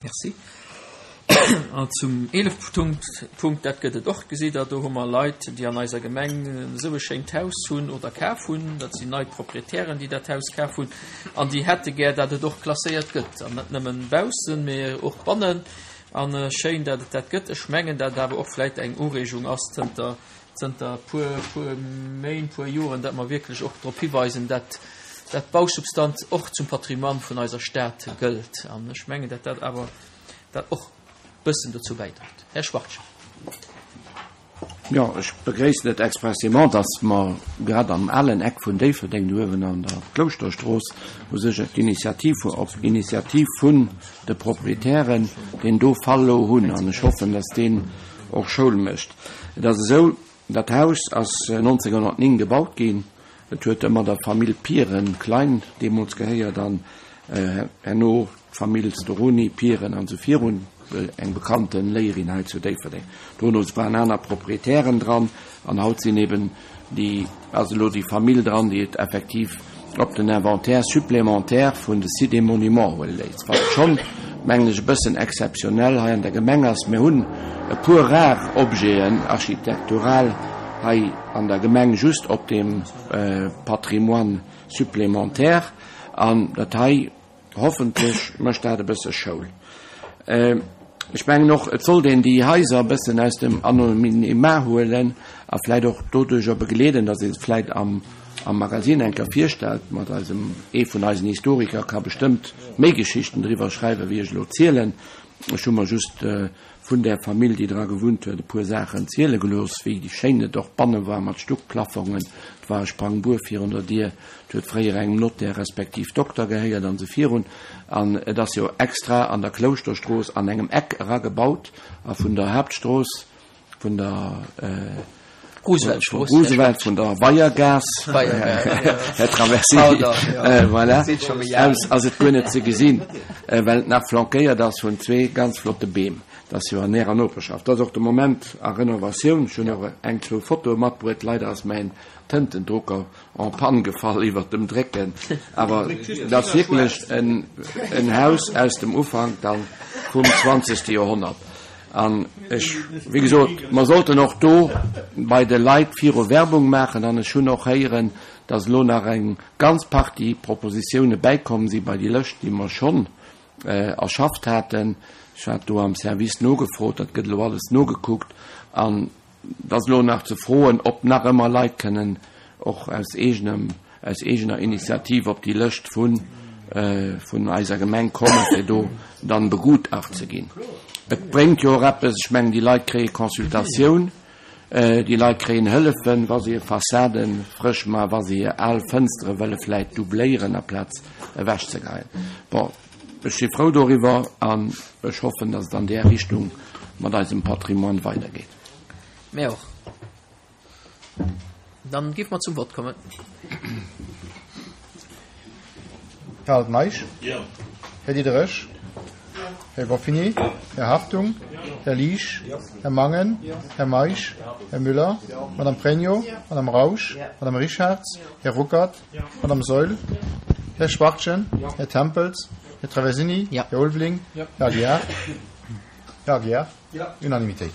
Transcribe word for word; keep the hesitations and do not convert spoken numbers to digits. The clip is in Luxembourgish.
Merci. An zum eelefte Punkt, Punkt, dat gëtt et och, gesitt Der, do hu mer Leit, déi an eiser Gemeng esou e schéint Haus hunn oder kaf hunn. Dat sinn nei Proprietären, déi dat Haus kaf hunn an déi hätte gär, datt et och klasséiert gëtt, an net nëmmen baussen, mee och bannen. An schéin, datt et dat gëtt. Ech mengen, datt et awer och vläicht eng Ureegung ass zënter, zënter puer, puer Méint, puer Joren, datt mer wierklech och drop hiweisen, datt dat d'Bausubstanz och zum Patrimoine vun eiser Stad gëllt. An ech mengen, datt dat awer dat och bëssen dozou bäidréit. Här Schwachtgen. Jo, ech begréissen et expressément, dass mer grad am alen Eck vun Déifferdeng, do uewen an der Klouschterstrooss, u sech d'Initiativ, op Initiativ vun de Proprietären, deen do Fall elo hunn. An ech hoffen, dass deen och Schoul mécht. Et ass esou, dat Haus ass nonzénghonnertnéng gebaut ginn. Et huet ëmmer der Famill Pieren, Klein deemools gehéiert an herno d'Famill Storoni, Pieren an esou virun, eng bekannte Léierin hei zu Déifferdeng. Dono waren aner Proprietären dran an haut sinn eben déi, ass elo déi Famill dran, déi et effektiv op den Inventaire supplémentaire vun de Sites et Monuments huele léisst, wat schonn, mengen ech, e bëssen exzeptionell hei an der Gemeng ass. Mir hunn e puer rar Objeten architektural hei an der Gemeng just op deem Patrimoine supplémentaire an dat hei, hoffentlech mécht dat e bësse Schoul. Ech mengen och, et sollt een déi Haiser e bëssen aus dem Anonymat huelen a vläicht och doduerjer begleeden, datt ee se vläicht am am Magazine eng Kéier virstellt mat eisem, ee vun eisen Historiker ka bestëmmt méi Geschichten driwwer schreiwen, wéi ech elo zielen. Ech hu mer just vun där Famill, déi dra gewunnt huet, e puer Saachen ziele gelooss, wéi schéin et och banne war mat Stuckplaffongen. Et war e Sprangbuer virun der Dier, et huet fréier engem Notaire respektiv Dokter gehéiert an esou virun. An et ass jo extra an der Klouschterstrooss an engem Eck eragebaut a vun der Haaptstrooss, vun der Rooseveltstrooss, Roosevelt, vun der Weiergaass, Här Traversini, voilà, aus ass et guer net ze gesinn, well et nach flankéiert ass vun zwee ganz flotte Beem. Dat ass jo an Ärer Noperschaft. Dat ass och de Moment a Renovatioun. Ech hunn och eng, zwou Fotoe matbruet. Leider ass mäin Tëntendrucker en panne gefall iwwert dem Drécken. Awer et ass wierklech en Haus aus dem Ufank dann vum zwanzegste Joerhonnert. An ech, wéi gesot, mer sollten och do bei de Leit viru Werbung maachen. An ech hunn och héieren, dass elo nach eng ganz Partie Propositioune bäikomm si bei déi Lëscht, déi mer schonn erschafft haten. Ech hat do am Service nogefrot, dat gëtt elo alles nogekuckt. An et ass elo nach ze froen, ob nach ëmmer Leit kënnen och aus eegenem, aus eegener Initiativ op déi Lëscht vun, vun eiser Gemeng kommen, fir do dann begutacht ze ginn. Et bréngt jo och eppes, ech mengen, déi Leit kréie Consultatioun, déi Leit kréien Hëllefen, wa se hir Fassade frësch maachen, wa se hir al Fënstere wëlle vläit doubléieren aplaz ewechzegeien. Bon, ech si frou doriwwer an ech hoffen, datt et an där Richtung mat eisem Patrimoine weidergeet. Mir och. Dann géife mer zum Vott kommen. Här Altmeisch? Här Diderich? Här Goffini? Här Hartung? Här Liesch? Här Mangen? Här Meisch? Här Müller? Madame Pregno? Madame Rausch? Madame Richarz? Här Ruckert? Madame Saeul? Här Schwachtgen? Här Tempels? Här Traversini? Här Ulveling? Här Aguiar? Här Aguiar? Unanimitéit.